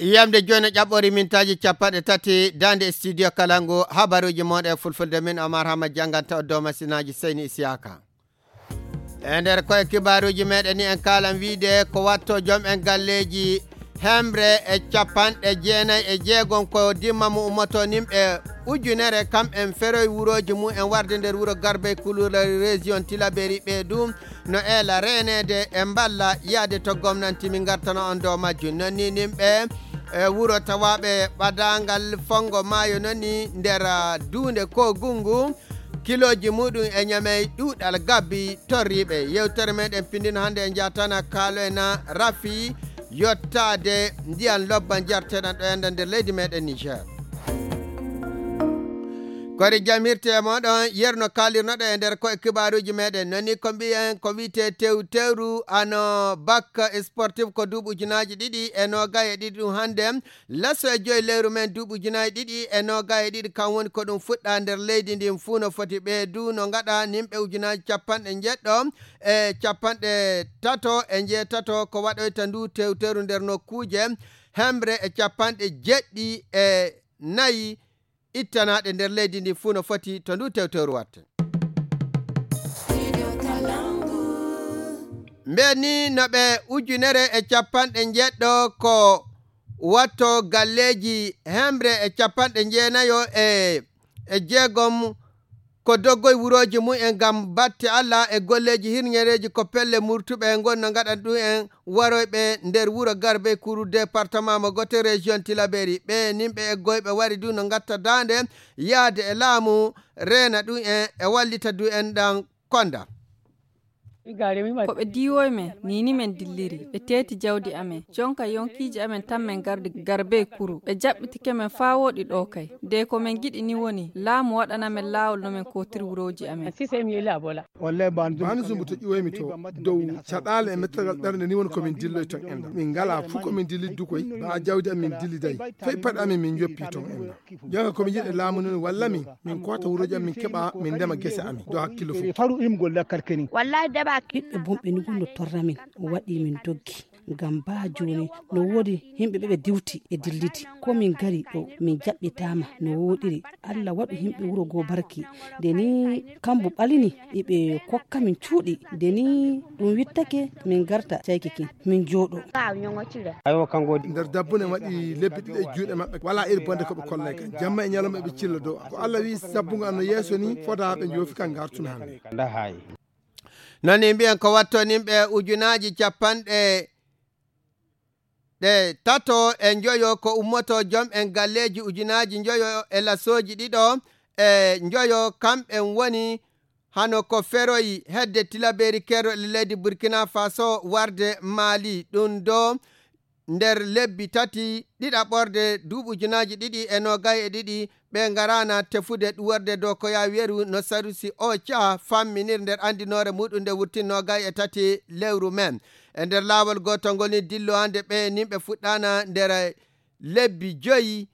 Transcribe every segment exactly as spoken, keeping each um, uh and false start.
Yiyamde jooni ƴaɓɓori mintaaji capanɗe tati daande studio Kalangu, habaruuji mon e fulfulde, min Omar Hamad jannganta o dow masinaaji Seyni Isiyaka. E nder koye kibaaruuji meɗen ni en kaalan wiide ko watto joom en galleeji hemre e capanɗe jeenayi e jeegom ko dimma mo ummoto nimɓe ujunere kam en feroy wurooji mum en warde nder wuro Garbey Kulula région Tilaberi ɓe ɗum no eela reeneede e mballa yaade to gomnanti min ngartana on dow majjum. Non ni nimɓe e wuro tawaaɓe ɓadaangal fonngo maayo non ni nder, ah, duunde Kogungu, kilooji muɗum e ñamey ɗuuɗal gabbi torriiɓe. Yewtere meɗen pindino hannde en njatana kaaloyna rafi yottaade ndiyan lobba njarteɗan ɗo enda nder leydi meɗen Niger. Kori jam hirte e moɗon yerno kalirnoɗo e nder koye kibaaruuji meɗen. Non ni ko mbiyen ko wi'ete tew tewru ano bakka sportif ko duuɓi ujunaaji ɗiɗi e noogay e ɗiɗi ɗum hannde. Laso e joyi lewru men duuɓi ujunaaji ɗiɗi e noogay e ɗiɗi kam woni ko ɗum fuɗɗa nder leydi ndin fuu no foti ɓe du no ngaɗa nimɓe ujunaaji capanɗe njeɗɗo e capanɗe tato e njeetato ko waɗoyta ndu tew tewru nder nokkuuje hemre e capanɗe jeɗɗi e nayi ittanaaɗe nder leydi ndi fuu no foti to ndu tewtewru watte. Mbeɗa ni no ɓe ujunere e capanɗe njeɗɗo ko watto galleeji hemre e capanɗe njeenayo e, e jeegom ko doggoy wurooji mum en ngam batte Allah e golleeji hirñereeji ko pelle murtuɓe e ngon no ngaɗan ɗum en waroyɓe nder wuro Garbe Kuru département mo gote région Tilaberi. Ɓe nimɓe eggoyɓe wari du no ngatta daande yaade e laamu reena ɗum en e wallita du en ɗan konda. Ko ɓe diiwoy men, nii ni men dilliri. Ɓe teeti jawdi amen. Jonka yonkiiji amen tan men gardi Garbe Kuru. Ɓe jaɓɓitike men faa wooɗi ɗoo kay. De ko men ngiɗi ni woni, laamu waɗana men laawol no men kootiri wurooji amen. Baani Zumbu to ƴiwoymi to dow caɗaale e mettergal ɓernde ni woni ko min dilloy ton enda. Min ngalaa fuu ko min dillidi du koy, baa jawdi amin dilliday. Fay paɗe amin min njoppi ton enda. Jonka ko min njiɗi laamu ni walla min, min koota wurooji amin, min keɓa, min ndema gese amin. Dow hakkillo fuu. Faru im golla karkeni. Wallahi daba. Ɓiɓɓe bonɓe ni gun no torra min, o waɗi min doggi. Ngam baa jooni no woodi yimɓe ɓe ɓe diwti e dillidi. Ko min ngari ɗo min jaɓɓitaama no wooɗiri. Allah waɗu yimɓe wuro goo barki. Nde ni kambu ɓalini iɓe kokka min cuuɗi. Nde ni ɗum wittake min ngarta cayki kin min jooɗo. Nder dabbune waɗi lebbi ɗiɗi e juuɗe maɓɓe, walaa iri bonde ko ɓe kollay kan. Jamma e ñalawma eɓe cilla dow am. Ko Allah wi'i sabbunga an no yeeso ni, fodaa ɓe njoofi kan ngartun hannde. Non ni mbiyen ko watto nimɓe ujunaaji capanɗe ɗe tato e njoyo ko ummoto jom en galleeji ujunaaji njoyo e lasooji ɗiɗo e njoyo kamɓen woni hano ko feroyi hedde Tilaberi Kerro e leydi Burkina Faso warde Mali. Ɗum do nder lebbi tati ɗiɗaɓorde duuɓi ujunaaji ɗiɗi e noogay e ɗiɗi ɓe ngaraana tefude ɗuworde dow ko yaa weru no Sarusi Ocha famminir nder anndinoore muɗum nde wurtin noogay e tati lewru men. E nder laawol gootol ngol ni dillo hannde ɓe nimɓe fuɗɗaana nder lebbi joyi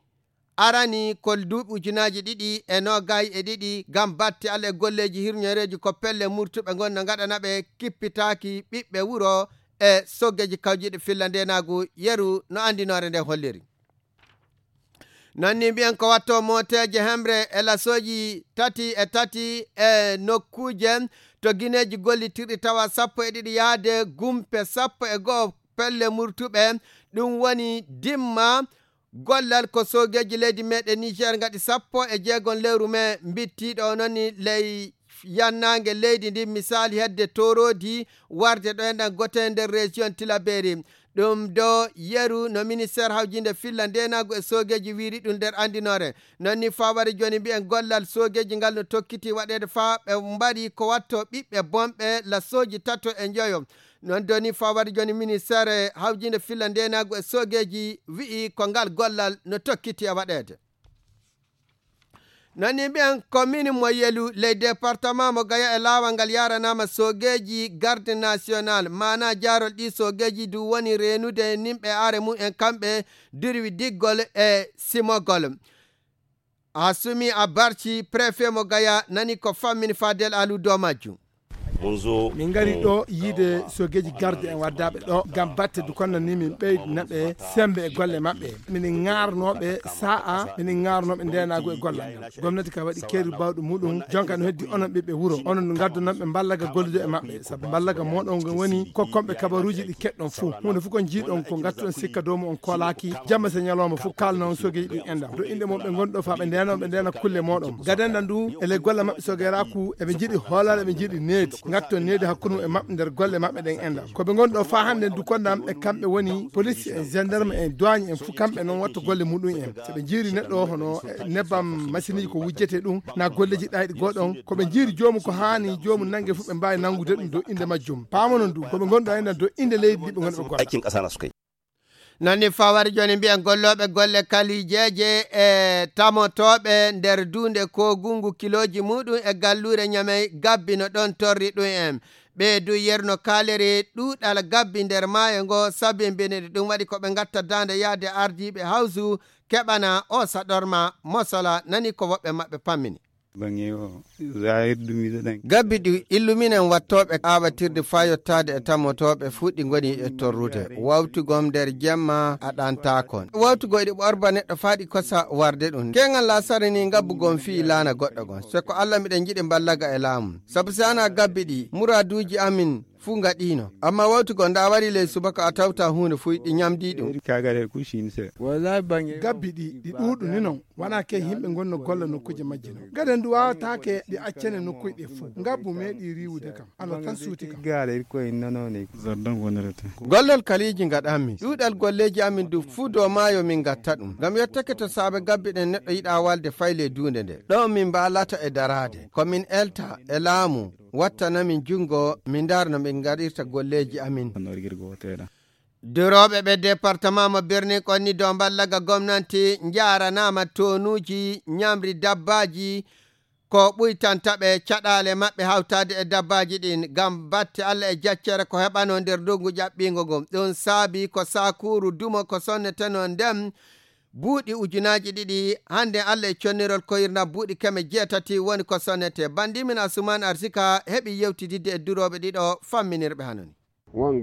arani ko duuɓi ujunaaji ɗiɗi e noogay e ɗiɗi ngam batte Allah e golleeji hirñoreeji ko pelle murtuɓe ngon no ngaɗana ɓe kippitaaki ɓiɓɓe wuro e soggeeji kawjiiɗi filla ndeenaagu yeru no anndinoore nde holliri. Non ni mbiyen ko watto mooteeje hemre e lasooji tati e tati e nokkuuje to gineeji gollitirɗi tawa sappo e ɗiɗi yaade gumpe sappo e go'o pelle murtuɓe ɗum woni dimma gollal ko soogeeji leydi meɗen Niger ngaɗi sappo e jeegom lewru me mbittiiɗo o noni ley yannaange leydi ndi misali hedde toroodi warde ɗo enɗan gote nder région Tilaberi. Ɗum do yeru no ministère hawjinde filla ndenagu e soogeeji wiiri ɗum nder andinore. Non ni fawari joni mbiyen gollal soogeeji ngal no tokkiti waɗeede faa ɓe mbari ko watto ɓiɓɓe bonɓe lasooji tato e njoyo. Non doni fawari joni ministère hawjinde filla ndenagu e soogeeji wi'i ko ngal gollal no tokkiti e waɗeede. Nani mbiyen commune mo Yelu ley département mo Gaya e laawal ngal yaranama soogeeji garde national maana jaarol ɗi soogeeji du woni reenude nimɓe are mum en kamɓe durwi diggol e simogol. Asumi a barci préfet mo Gaya nani ko fammini Fadel Alu dow majjum. Min ngari ɗo yiide sogeeji garde en waddaaɓe ɗo ngam batte du konnani min ɓeydina ɓe sembe e golle maɓɓe. Minin ŋaarnooɓe sa'a, minin ŋaarnooɓe ndeenaagu e gollal ngal. Gomnati ka waɗi keeri bawɗo muɗum, jonka no heddi onon ɓiɓɓe wuro. Onon no ngaddonon ɓe mballaga gollude e maɓɓe, sabu mballaga moɗon ngon woni kokkonɓe kabaruuji ɗi keɗɗon fuu. Huunde fuu ko njiiɗon ko ngattuɗon sikka dow mo on koolaaki, jamma se ñalawma fuu kaalna on sogeeji ɗin enɗam. Do inɗe mon ɓe ngonɗo faa ɓe ndeenoo, ɓe ndeena kulle moɗon. Gaden ɗan du, e ley golle maɓɓe sogeeraaku, eɓe njiɗi hoolal, eɓe njiɗi needi. Ngatton needi hakkunde mum e maɓɓe nder golle maɓɓe ɗen enɗam. Ko ɓe ngonɗo faa hannde du konnam e kamɓe woni police en, gendarme en, douane en fuu kamɓe non watta golle muɗum en. So ɓe njiiri neɗɗo hono, eh, nebbam machine ko wujjete ɗum, na golleeji ɗayɗi goɗon, ko ɓe njiiri joomum ko haani joomum nange fuu ɓe mbaawi nangude ɗum dow innde majjum. Paamo non du, ko ɓe ngonɗo enɗam dow innde leydi ndi ɓe ngonɗo ɓe golla. Nani fawari jooni mbiyen gollooɓe golle kalijeeje e tamotooɓe nder duunde koogungu kilooji muɗum e galluure Ñamey gabbi no ɗon torri ɗum en. Ɓe du yerno kaaliri ɗuuɗal gabbi nder maayo ngo sabimbini ɗum waɗi ko ɓe ngatta daande yaade ardiiɓe hawsu keɓana o saɗorma mosola nani ko woɓɓe maɓɓe pammini. Gabbi ɗi illuminen wattooɓe aawatirde faa yottaade e tammotooɓe fuu ɗi ngoni e torrude. Wawtugom nder jemma a ɗantaakon. Wawtugoo iɗi ɓorba neɗɗo faa ɗi kosa warde ɗum. Keeŋal laasara ni ngabbu gon fii laana goɗɗo gon. Se ko Alla miɗen njiɗi mballaga e laamu. Sabu si ana gabbi ɗi, muraaduuji amin fuu ngaɗiino. Amma wawtugoo nda wari ley subaka a tawta huunde fuu ɗi ñamdii ɗum. Gabbi ɗi, ɗi ɗuuɗu ni non. Wona ke yimɓe ngonno golla nokkuuje majji non. Gaden du waawataake ɗi accane nokkuuje ɗe fuu. Ngabbu meeɗi riiwude kam. Alla tan suuti kam. Gollal kaliiji ngaɗanmi. Ɗuuɗal golleeji amin du fuu dow maayo min ngatta ɗum. Ngam yottake to saabe gabbi ɗen neɗɗo yiɗa walde fay ley duunde nde. Ɗo min mbaalata e daraade. Ko min elta e laamu. Wattana min junngo, min ndaara no min ngaɗirta golleeji amin. Durooɓe ɓe departement mo Birnin Konni dow mballaga gomnanti njaaranaama toonuuji ñamri dabbaaji ko ɓuytanta ɓe caɗaale maɓɓe hawtaade e dabbaaji ɗin ngam batte Alla e jaccere ko heɓanoo nder ndungu ƴaɓɓiingo ngun. Ɗum saabi ko saakuuru dumo ko sonnetenoo nden buuɗi ujunaaji ɗiɗi, hannde Alla e connirol koyirna buuɗi keme jeetati woni ko sonnetee. Banndi min Asuman Arsika heɓi yewtididde e durooɓe ɗiɗo famminirɓe hano ni. On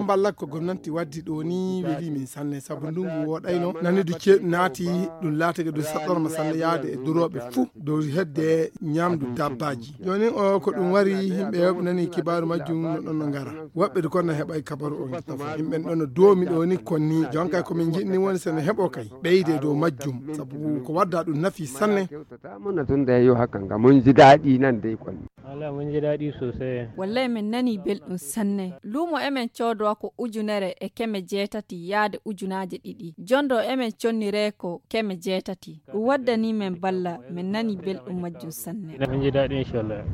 mballa ko gomnanti waddi ɗo ni weli min sanne, sabu ndungu wooɗayno, nani du ceeɗu naati, ɗum laatake du saɗɗorma sanne yaade e durooɓe fuu dow hedde ñamdu dabbaaji. Jooni o ko ɗum wari, yimɓe heewɓe nani kibaaru majjum no ɗon no ngara. Woɓɓe du kon no heɓay kabaru on tafa. Yimɓe ɗon no doomi ɗo ni kon ni. Jonka ko min njiɗni woni so no heɓo kay ɓeyde dow majjum. Sabu ko wadda ɗum nafi sanne. Mona tun da yo haka nga mun ji daɗi nan dai kon. Wala mun ji daɗi sosai. Wallay min nani belɗum sanne. Luumo emen coodowa ko ujunere e keme jeetati yaade ujunaaje ɗiɗi. Jondo emen conniree ko keme jeetati. Ɗum waddani men balla, min nani belɗum majjum sanne. Mun ji daɗi, inshallah.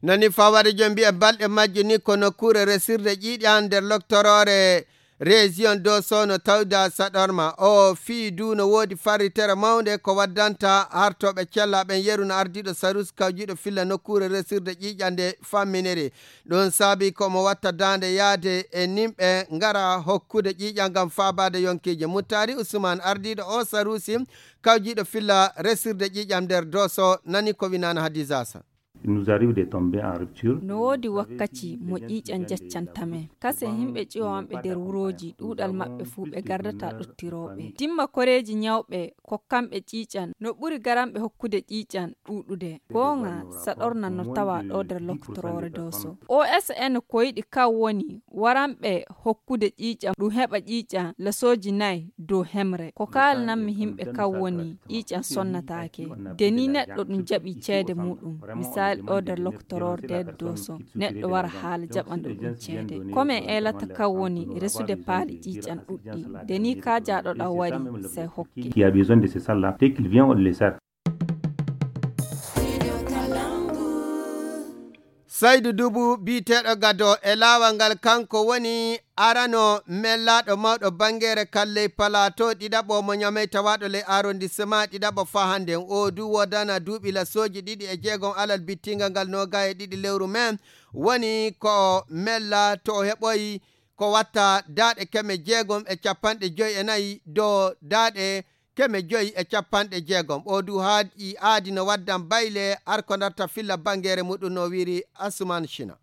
Nani fawade jom mbiya balɗe majje ni ko nokkuure resirde ƴiiƴan nder loktoroore région Doso no tawda saɗorma. O fii du no woodi farritere mawnde ko waddanta hartooɓe cella ɓen yeru no ardiiɗo Sarus kawjiiɗo filla nokkuure resirde ƴiiƴan nde famminiri. Ɗum saabi ko mo watta daande yaade e nimɓe ngara hokkude ƴiiƴan ngam faabaade yonkiije. Muttaari Usman ardiiɗo o Sarusi kawjiiɗo filla resirde ƴiiƴan nder Doso nani ko winaana Hadiza Sa. Il nous arrive de tomber en rupture. No woodi wakkaci mo ƴiiƴan jaccantamen. Kasen himɓe ƴiwa maɓɓe nder wurooji, ɗuuɗal maɓɓe fuu ɓe gardata ɗottirooɓe. Dimma koreeji ñawɓe kokkanɓe ƴiiƴan, no ɓuri garanɓe hokkude ƴiiƴan ɗuuɗude. Gooŋa saɗorna no tawa ɗo nder loktoroore Doso. O S N ko yiɗi kan woni waranɓe hokkude ƴiiƴan, ɗum heɓa ƴiiƴan lasooji nay dow hemre. Ko kaalananmi himɓe kan woni ƴiiƴan sonnataake. De ni neɗɗo ɗum jaɓi ceede muɗum. Misali ɗo nder loktoroor nder Doso, neɗɗo wara haala jaɓanɗo ɗum ceede. Ko men eelata kan woni resude paali ƴiiƴan ɗuɗɗi. De ni kaajaaɗo ɗan wari, sey hokke. Qui a besoin de ce salle-là, dès qu'il vient, on le sert. Saydu Dubu biyeteeɗo Gado e laawol ngal, kanko woni arano mellaaɗo mawɗo bangeere kalley Palaato ɗiɗaɓo mo Ñamey tawaaɗo ley arrondissement ɗiɗaɓo faa hannden. O du woodana duuɓi lasooji ɗiɗi e jeegom alal bittingal ngal noogaye e ɗiɗi lewru mee. Woni ko mella to o heɓoyi ko watta daaɗe keme jeegom e capanɗe joy e nayi dow daaɗe keme joyi e capanɗe jeegom. O du haadi aadi no waddan bayle arko darta filla bangere muɗum no wiri Asuman Shina.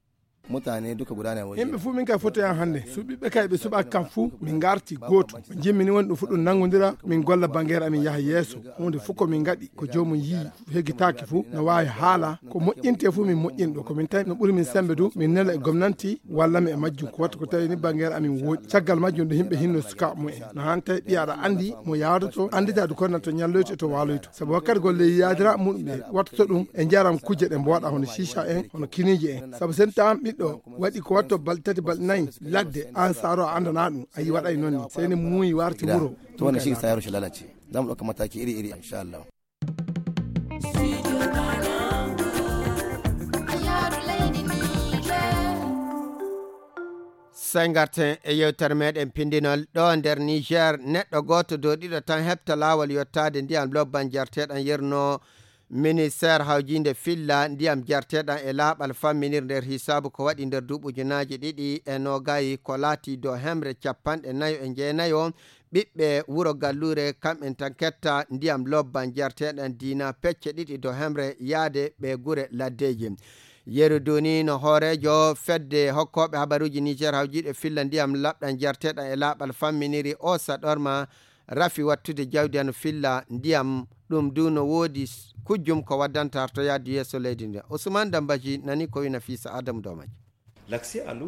Mutane duka guda ne waje. Yimɓe fuu min kay fotoyan hannde. Suɓiɓɓe kay ɓe suɓaaki kam fuu, min ngarti gooto. Ko jimmini woni ɗum fuu ɗum nanngondira, min golla bangere amin yaha yeeso. Huunde fuu ko min ngaɗi, ko joomum yii heggitaaki fuu, no waawi haala, ko moƴƴinte fuu min moƴƴin ɗum. Ko min tawi no ɓuri min sembe du, min nela e gomnanti, walla mi e majjum. Ko watta ko tawi ni bangere amin wooɗi. Caggal majjum ɗo yimɓe hinno sukaaɓe mumen. No han tawi ɓiya aɗa anndi mo yaadoto, anndita du ko to ñalloyto e to waaloyto. Sabu wakkati golle yaadira muɗum ɓe wattoto ɗum e njaram kujje ɗe mbooɗa hono shisha en, hono kiniije en. Sabu sen tawan ɓiɗɗo waɗi ko watto balɗe tati, balɗe nayi ladde, an saaro a anndana ɗum, a yi waɗay noon ni. Sey ne muuyi warti wuro. To wannan shi sa yaro shi lalace. Za mu ɗauka mataki iri-iri, insha Allah. Sey ngarten e yewtere meɗen pindinol. Ɗo nder Niger, neɗɗo gooto dow ɗiɗo tan heɓta laawol yottaade ndiyam lobban jarteɗam yerno. Ministeer hawjiinde filla ndiyam jarteɗam e laaɓal famminir nder hisaabu ko waɗi nder duuɓi ujunaaji ɗiɗi e noogay ko laati dow hemre capanɗe nayo e jeenayo ɓiɓɓe wuro Galluure, kamɓen tan ketta ndiyam lobban jarteɗam diina pecce ɗiɗi dow hemre yaade ɓe gure laddeeji. Yeru Duni no hooreejo fedde hokkooɓe habaruuji Niger hawjiiɗo filla ndiyam laɓɗam jarteɗam e laaɓal famminiri o saɗorma rafi wattude jawdi hano filla ndiyam. Ɗum du no woodi s-, kujjum ko waddanta hartoyaade yeeso leydi ndi. Ousmane Dambaji nani ko wina fii sa Adamu Domaji.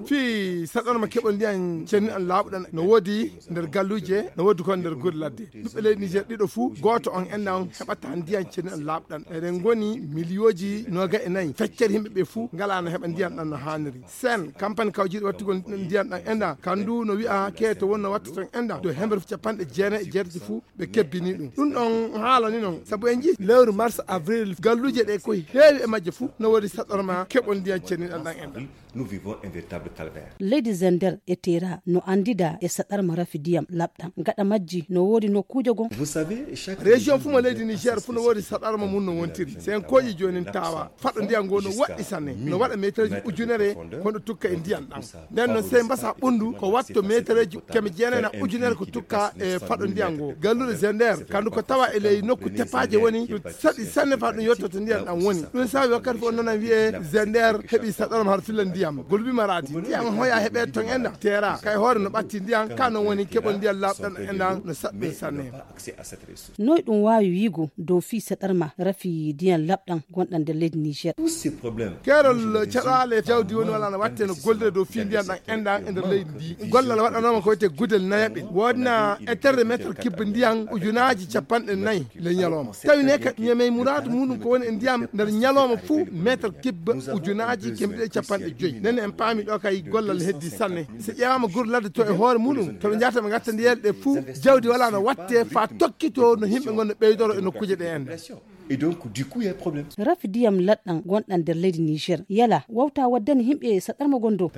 Fii saɗorma keɓol ndiyan cenni an laaɓuɗan no woodi nder galluuje, no woodi kon nder gure ladde. Ɓiɓɓe leydi Niger ɗiɗo fuu, gooto on enɗan heɓata ndiyan cenni an laaɓuɗan. Eɗen ngoni miliyooji nooga e nayi. Feccere yimɓe ɓe fuu ngalaa no heɓa ndiyan ɗan no haaniri. Sen, kampani kawjiiɗo wattugol ndiyan ɗan enɗan, kandu no wi'a keeto won no watta ton enɗan. Dow hemre fuu capanɗe jeenayi e jeetati fuu, ɓe kebbini ɗum. Ɗum ɗon haala ni non. Sabu en njii lewru mars, avril, galluuje ɗe ko heewi e majje fuu no woodi saɗorma keɓol ndiyan cenni an ɗan enɗan. Nous vivons un véritable calvaire. Leydi Zender e Tera no anndida e saɗarma rafi ndiyam laɓɗam. Gaɗa majji no woodi nokkuuje gom. Vous savez, chaque région fuu mo leydi Niger fuu no woodi saɗarma mum no wontiri. Sen kooƴi joonin tawa faɗo ndiyam ngo no woɗɗi sanne. No waɗa metereji ujunere kono tukka e ndiyam ɗam. Nden noon sey mbasa ɓunndu ko watto metereji keme jeenayi na ujunere ko tukka e faɗo ndiyam ngo. Galluure Zender, kandu ko tawa e ley nokku tepaaje woni, ɗum saɗi sanne faa ɗum yottoto ndiyam ɗam woni. Ɗum saabi wakkati fof noon wiyee Zender heɓi saɗorma har filla ndiyam. Golbi Maradi, ndiyam hoya heɓee ton enɗan. Tera, kay hoore no ɓatti ndiyam, ka noon woni keɓol ndiyam laaɓɗam enɗan no saɗɗum sanne. Noy ɗum waawi wiigo dow fii saɗarma rafi ndiyam laɓɗam gonɗam nder leydi Niger? Tous ces problèmes. Keerol caɗaale jawdi woni wala no watte no gollire dow fii ndiyam ɗam enɗan e nder leydi ndi. Gollal waɗanooma ko wiyetee gudel nayaɓel. Woodna e terre mètre cube ndiyam ujunaaji capanɗe nayi ley ñalooma. Tawi ne ka ñemey muraadu muɗum ko woni e ndiyam nder ñalooma fuu mètre cube ujunaaji keme ɗiɗi e capanɗe joyi. Nden en paami ɗo kay gollal heddi sanne. So ƴeewaama gure ladde to e hoore muɗum, to ɓe njahata ɓe ngatta ndiyeele ɗe fuu, jawdi wala no watte faa tokkitoo no yimɓe ngon no ɓeydoro e nokkuuje ɗe en. Et donc, du coup, il y a un problème. Rafi ndiyam laɗɗam gonɗam nder leydi Niger, yala wawta waddani yimɓe saɗarma gondo?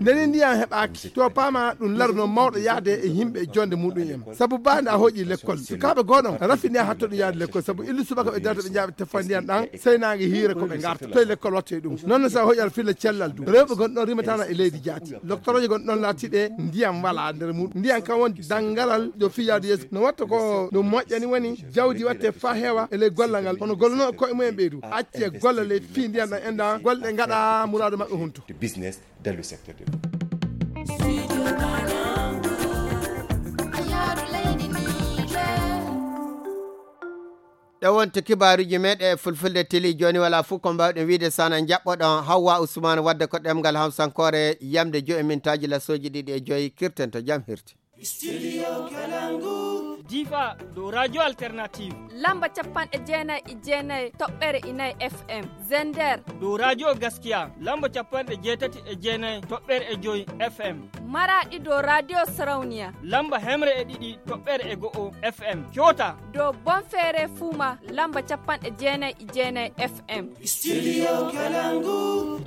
Ndeni ndiyam heɓaaki, to paama ɗum laruno mawɗo yaade e yimɓe e jonde muɗum en. Sabu baande a hoƴi lekkol. Sukaaɓe gooɗon, rafi ndiyam hatto ɗum yaade lekkol. Sabu illu subaka ɓe darata ɓe njaaɓe teffa ndiyam ɗam, sey naange hiire ko ɓe ngarta. Toye lekkol watte ɗum? Noon no sa hoƴi aɗa filla cellal du. Rewɓe gon ɗon rimatana e leydi jaati. Loktoroje gon ɗon laatiɗe ndiyam wala nder muɗum. Ndiyam kam woni dangalal ɗo fii yaade yeeso. No watta ko ɗum moƴƴani woni jawdi watte faa heewa e ley gollal ngal. Hono gollunooɓe koye mumen ɓeydu. Acce gollal e fii ndiyam ɗam enɗan. Golle ɗe ngaɗa muraadu maɓɓe hunto. The business dans le secteur de l'eau. Ɗe wonti kibaaruuji meɗen e fulfulde tili. Jooni wala fuu ko mbaawɗen wiide sana njaɓɓoɗon Hawwa Usmaan wadde ko ɗemngal Hawsankoore yamde joyi mintaaji lasooji ɗiɗi e joyi. Kirten to jam hirti. Studio Kalangu. Difa dow Radio Alternative. Lamba capanɗe jeenayi e jeenayi toɓɓere e nayi F M. Zender. Dow Radio Gaskiya. Lamba capanɗe jeetati e jeenayi toɓɓere e joyi F M. Maraɗi dow Radio Sarauniya. Lamba hemre e ɗiɗi toɓɓere e go'o F M. Kyota. Dow Bonferre Fuma lamba capanɗe jeenayi e jeenayi F M. Studio Kalangu.